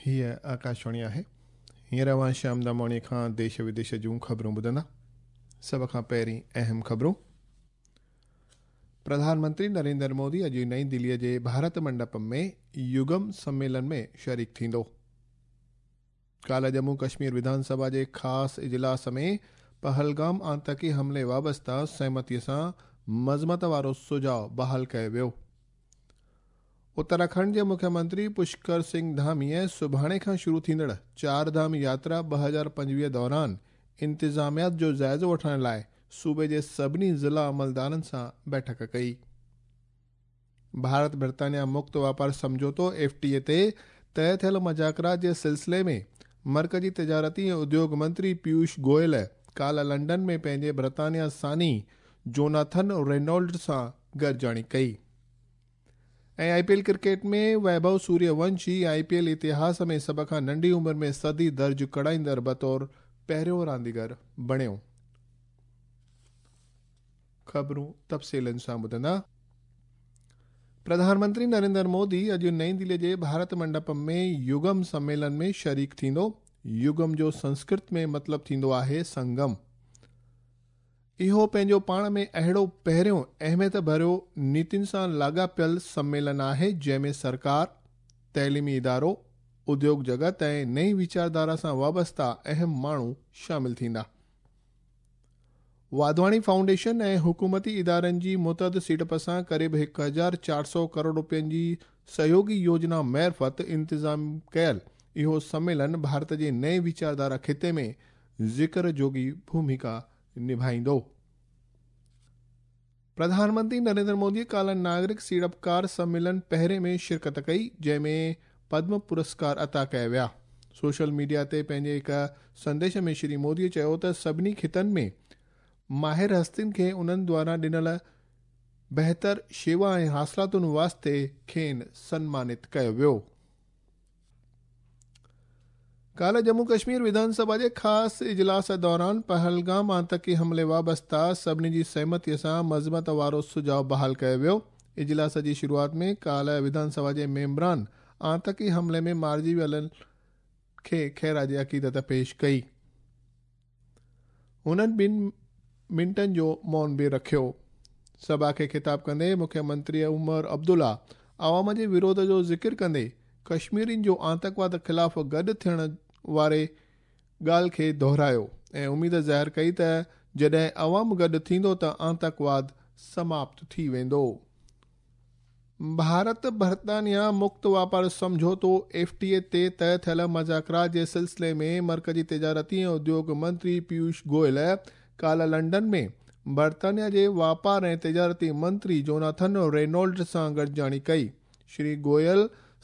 هيء آڪاشواڻي آهي. هينئر اوهان شيام داماڻيء کان ديش وديش جون خبرون ٻڌندا. سڀ کان پهرين اهم خبرون. پرڌان منتري نريندر مودي اڄ نئين دليء جي ڀارت منڊپم ۾ يگم سميلن ۾ شريڪ ٿيندو. ڪالهه ڄمون ڪشمير وڌان سڀا جي خاص اجلاس ۾ پهلگام آتنڪي حملي وابسته سهمتيء سان مذمت وارو سجهاءُ بحال ڪيو ويو. اتراکنڊ جي مکيه منتري پشڪر سنگهه ڌاميء سڀاڻي کان شروع ٿيندڙ چار ڌام ياترا 2025 دوران انتظاميات جو جائزو وٺڻ لاءِ صوبي جي سڀني ضلع عملدارن سان بيٺڪ ڪئي. ڀارت برطانيا مڪت واپار سمجهوتو ايف ٽي اي تي طئي ٿيل مذاڪرات جي سلسلي ۾ مرڪزي تجارتي ۽ اديوگ منتري پيوش گويل ڪالهه لنڊن ۾ پنهنجي برطانيا ثاني جوناٿن رينولڊ سان گڏجاڻي ڪئي. ۽ I P L cricket ۾ Vaibhav Suryavanshi I P L اتهاس ۾ سڀ کان ننڍي عمر ۾ صدي درج ڪرائيندڙ بطور پهريون رانديگر بڻيو. خبرون تفصيلن سان ٻڌندا. پرڌان منتري نريندر مودي اڄ نئين دلي جي ڀارت منڊپم ۾ يگم سميلن ۾ شريڪ ٿيندو. يگم جو سنسڪرت ۾ مطلب ٿيندو آهي سنگم. اهو پنهنجو پاڻ ۾ اهڙو پهريون اهميت ڀريو نيتين سان لاڳاپيل سميلن آهي جنهن ۾ سرڪار، تعليمي ادارو، اديوگ جڳت ۽ نئين ويچارڌارا سان وابسته اهم ماڻهو شامل ٿيندا. واڌواڻي فائونڊيشن ۽ حڪومتي ادارن جي متعدد سيڙپ سان قريب 1400 ڪروڙ رپين جي سهيوگي يوجنا معرفت انتظام ڪيل اهو سميلن ڀارت جي نئين ويچارڌارا خطي ۾ ذڪر جوڳي ڀومڪا نڀائيندو. پرڌان منتري نريندر مودي ڪالهه ناگرڪ سيڙپڪار سميلن پهرين ۾ شرڪت ڪئي، جنهن ۾ پدم پرسڪار عطا ڪيا ويا. سوشل ميڊيا تي پنهنجي هڪ سنديش ۾ شري مودي چيو ته سڀني خطن ۾ ماهر هستين کي انهن دواران ڏنل بهتر شيوا ۽ حاصلاتن واسطي کين سنمانت ڪيو ويو. ڪالهه ڄمون ڪشمير وڌان سڀا جي خاص اجلاس دوران پهلگام آتنڪي حملي وابسته سڀني جي سهمتيء سان مذمت وارو سجهاءُ بحال ڪيو ويو. اجلاس جي شروعات ۾ ڪالهه وڌان سڀا جي ميمبران آتنڪي حملي ۾ مارجي ويلن کي خراج عقيدت پيش ڪئي. هنن ٻن منٽن جو مون به رکيو. سڀا کي خطاب ڪندي مکيه منتري عمر عبدالله عوام جي وروڌ جو ذڪر ڪندي ڪشميرين جو آتنڪواد خلاف گڏ ٿيڻ واري ڳالهه کي دهرايو ۽ اميد ظاهر ڪئي ته جڏهن عوام گڏ ٿيندو ته آتنڪواد سماپت ٿي ويندو. ڀارت برطانيا مڪت واپار سمجهوتو ايف ٽي اي تي طئي ٿيل مذاڪرات جي سلسلي ۾ مرڪزي تجارتي ۽ اديوگ منتري پيوش گويل ڪالهه لنڊن ۾ برطانيا جي واپار ۽ تجارتي منتري جوناٿن رينولڊ سان گڏجاڻي ڪئي. شري گويل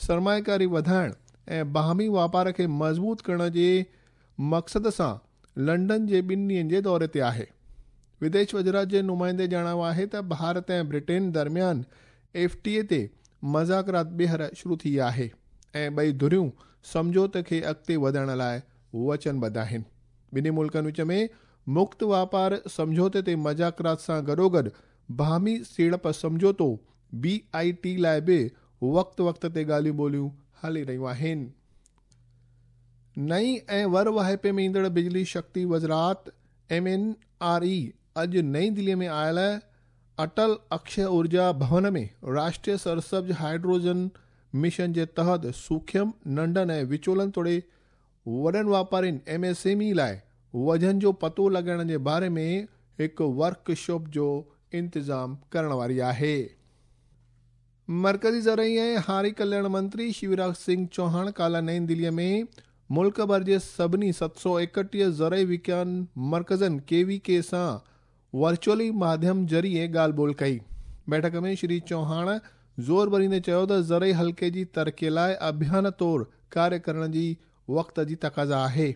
سرمائيڪاري وڌائڻ ۽ باهمي واپار کي مضبوط ڪرڻ جي مقصد سان لنڊن جي ٻن ڏينهن جي دوري تي آهي. وديش وزارت جي نمائندي ڄاڻايو آهي ته ڀارت ۽ برٽين درميان ايف ٽي اي تي مذاڪرات ٻيهر شروع ٿي ويا آهي ۽ ٻئي ڌريون سمجهوتي کي اڳتي وڌائڻ لاءِ وچنبڌ آهن. ٻنهي ملڪن وچ ۾ مڪت واپار سمجهوتي تي مذاڪرات سان گڏوگڏ باهمي سيڙپ سمجهوتو بي I ٽي لاءِ به وقت وقت تي ڳالهيون ٻولهيون هلي رهيون آهن. نئين ۽ ور واهپي ۾ ايندڙ بجلي شڪتي وزارت ايم اين آر اي اڄ نئين دلي ۾ آيل اٽل اڪشي اورجا ڀون ۾ راشٽريه سرسبز هائيڊروجن مشن جي تحت سوکيم، ننڍن ۽ وچولن توڙي وڏن واپارين ايم ايس ايم اي لاءِ وجهن جو پتو لڳائڻ جي باري ۾ هڪ ورڪشاپ جو انتظام ڪرڻ واري آهي. مرڪزي زرعي ۽ هاري ڪلياڻ منتري شيوراج سنگهه چوهاڻ ڪالهه نئين دليء ۾ ملڪ ڀر جي سڀني 731 زرعي وگيان مرڪزن ڪي وي ڪي سان ورچوئلي ماڌيم ذريعي ڳالهه ٻولهه ڪئي. بيٺڪ ۾ شري چوهاڻ زور ڀريندي چيو ته زرعي حلقي جي ترقيء لاءِ اڀيان طور ڪاريه ڪرڻ جي وقت جي تقاضا آهي.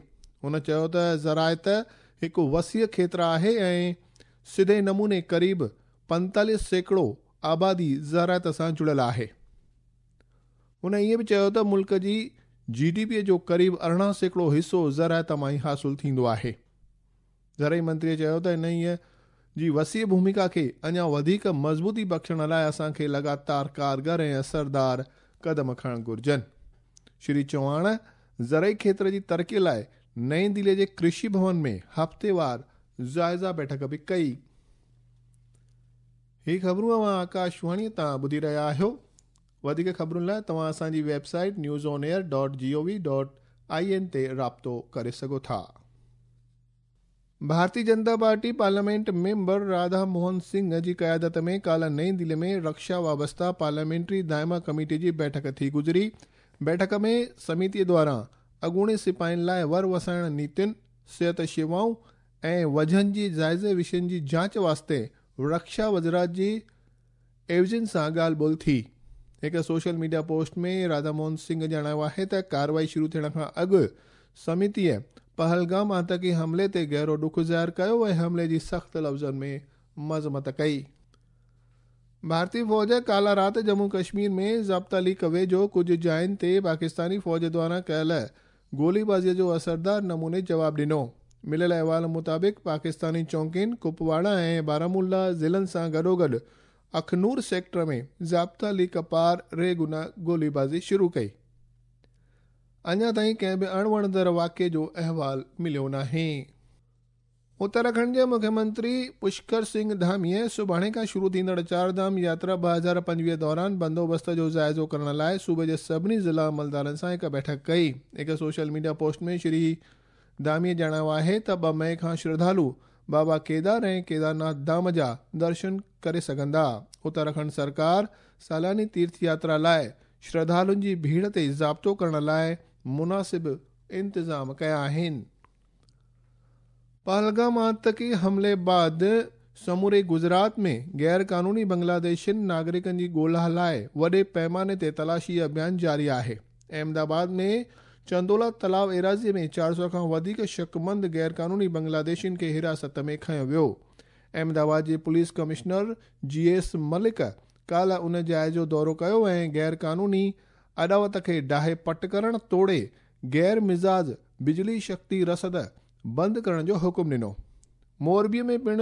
هن چيو ته زراعت هڪ وسيع کيتر آهي ۽ سڌي نموني قريب 45% آبادي زراعت سان جڙيل آهي. هن ائين به چيو ته ملڪ جي جي ڊي پي جو قريب 18% حصو زراعت مان ئي حاصل ٿيندو آهي. زرعي منتريء چيو ته انهيء جي وسيع ڀومڪا کي اڃا وڌيڪ مضبوطي بخشڻ لاءِ اسان کي لڳاتار ڪارگر ۽ اثردار قدم کڻڻ گهرجن. شري چوهاڻ زرعي کيتر جي ترقي لاء نئين دلي جي ڪرشي ڀون ۾ هفتيوار جائزه بيٺڪ به ڪئي. هي خبرون اوهان آڪاشواڻي تان ٻڌي رهيا آهيو. وڌيڪ خبرن لاءِ توهان اسان جي web site news on air dot G O V dot I N تي رابطو ڪري سگهو ٿا. Bharatiya Janata party parliament member Radha Mohan Singh جي قيادت ۾ ڪالهه نئين دلي ۾ رڪشا وابسته پارليامينٽري دائما ڪميٽي جي بيٺڪ ٿي گذري. بيٺڪ ۾ سميتي دواران اڳوڻي سپاهين لاءِ ور وسائڻ نيتين، صحت شيوائون ۽ وجهن جي جائزي وشين جي جاچ واسطي رڪشا وزارت جي عيوضين سان ڳالهه ٻولهه ٿي. هڪ سوشل ميڊيا پوسٽ ۾ راڌا موهن سنگهه ڄاڻايو آهي ته ڪارروائي شروع ٿيڻ کان اڳ سميتيءَ پهلگام آتنڪي حملي تي گهرو ڏک ظاهر ڪيو ۽ حملي جي سخت لفظن ۾ مذمت ڪئي. ڀارتي فوج ڪالهه رات ڄمون ڪشمير ۾ ضابطا ليڪ ويجهو ڪجهه جاين تي پاڪستاني فوج دواران ڪيل گوليبازيءَ جو اثردار نموني جواب ڏنو. مليل احوال مطابق پاڪستاني چونڪين ڪپواڙا ۽ بارامولا ضلعن سان گڏوگڏ اکنور سيڪٽر ۾ ضابطا ليڪ پار ريگنا گوليبازي شروع ڪئي. اڃا تائين ڪنهن به اڻوڻندڙ واقعي جو احوال مليو ناهي. اتراکنڊ جي مکيه منتري پشڪر سنگهه ڌاميءَ سڀاڻي کان شروع ٿيندڙ چار ڌام ياترا 2025 دوران بندوبست جو جائزو ڪرڻ لاءِ صوبي جي سڀني ضلع عملدارن سان هڪ بيٺڪ ڪئي. هڪ سوشل ميڊيا پوسٽ ۾ شري ڌاميءَ ڄاڻايو آهي ته 2 مئي کان شرڌالو بابا ڪيدار ۽ ڪيدارناٿ ڌام جا درشن ڪري سگهندا. اتراکنڊ سرڪار سالياني تيرٿ ياترا لاءِ شرڌالن جي ڀيڙ تي ضابطو ڪرڻ لاءِ مناسب انتظام ڪيا آهن. پهلگام آتنڪي حملي بعد سموري گجرات ۾ غير قانوني بنگلاديشين ناگرڪن جي ڳولها لاءِ وڏي پيماني تي تلاشي اڀيان جاري آهي. احمدآباد ۾ چندولا تلاءُ ايراضيءَ ۾ 400 کان وڌيڪ شڪمند غير قانوني بنگلاديشين کي حراست ۾ کنيو ويو. احمدآباد جي پوليس ڪمشنر جي ايس ملڪ ڪالهه ان جاءِ جو دورو ڪيو ۽ غير قانوني اڏاوت کي ڊاهي پٽ ڪرڻ توڙي غير مجاز بجلي شڪتي رسد بند ڪرڻ جو حڪم ڏنو. موربيءَ ۾ پڻ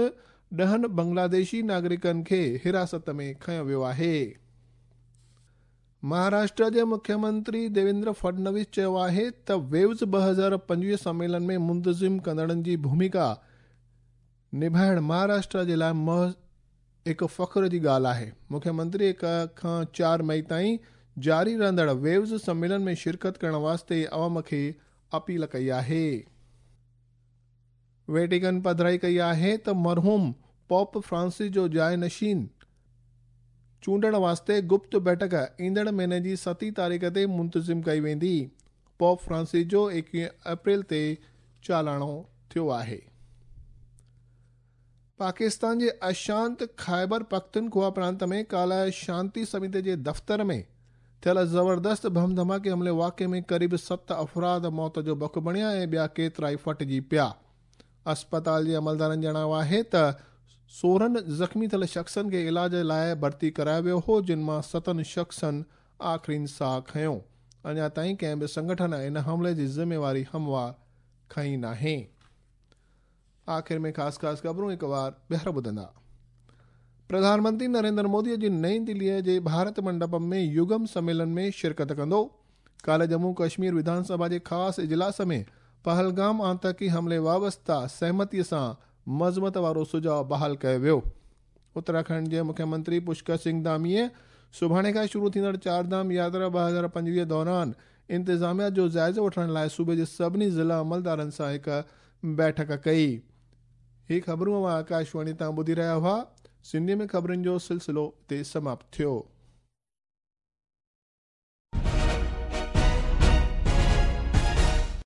10 بنگلاديشي ناگرڪن کي حراست ۾ کنيو ويو آهي. مهاراشٽر جي مکيه منتري ديويندر فڊنويس چيو آهي ته ويوز 2025 سميلن ۾ منتظم ڪندڙن جي ڀومڪا نڀائڻ مهاراشٽر جي لاءِ هڪ فخر جي ڳالهه آهي. مکيه منتري 1 کان 4 مئي تائين جاري رهندڙ ويوز سميلن ۾ شرڪت ڪرڻ واسطي عوام کي اپيل ڪئي آهي. ويٽيڪن پڌرائي ڪئي آهي ته مرحوم پوپ فرانسس جو جاءِ نشين چونڊڻ واسطي گپت بيٺڪ ايندڙ مهيني جي 7 تاريخ تي منتظم ڪئي ويندي. پوپ فرانسس جو 21 اپريل تي چالاڻو ٿيو آهي. پاڪستان جي اشانت خيبر پختونخوا پرانت ۾ ڪالهه شانتي سميتي جي دفتر ۾ ٿيل زبردست بم ڌماڪي حملي واقعي ۾ قريب 7 افراد موت جو بک بڻيا ۽ ٻيا ڪيترائي ڦٽجي پيا. اسپتال جي عملدارن ڄاڻايو آهي ته 16 زخمي ٿيل شخصن کي علاج لاءِ ڀرتي ڪرايو ويو هو، جن مان 7 شخصن آخرين ساهه کنيو. اڃا تائين ڪنهن به سنگٺن ان حملي جي ذميواري هموار کنئي ناهي. آخر ۾ خاص خاص خبرون هڪ بار ٻيهر ٻڌندا. پرڌان منتري نريندر مودي اڄ نئين دليءَ جي ڀارت منڊپم ۾ يگم سميلن ۾ شرڪت ڪندو. ڪالهه ڄمون ڪشمير وڌان سڀا جي خاص اجلاس ۾ پهلگام آتنڪي حملي وابسته سهمتيءَ سان مذمت وارو سجهاءُ بحال ڪيو ويو. اتراکنڊ جي مکيه منتري پشڪر سنگهه ڌاميءَ سڀاڻي کان شروع ٿيندڙ چار ڌام ياترا 2025 دوران انتظاميا جو جائزو وٺڻ لاءِ صوبي جي سڀني ضلع عملدارن سان هڪ بيٺڪ ڪئي. هي خبرون اوهان آڪاشواڻي تان ٻڌي رهيا هئا. سنڌيءَ ۾ خبرن جو سلسلو هتي سماپت ٿيو.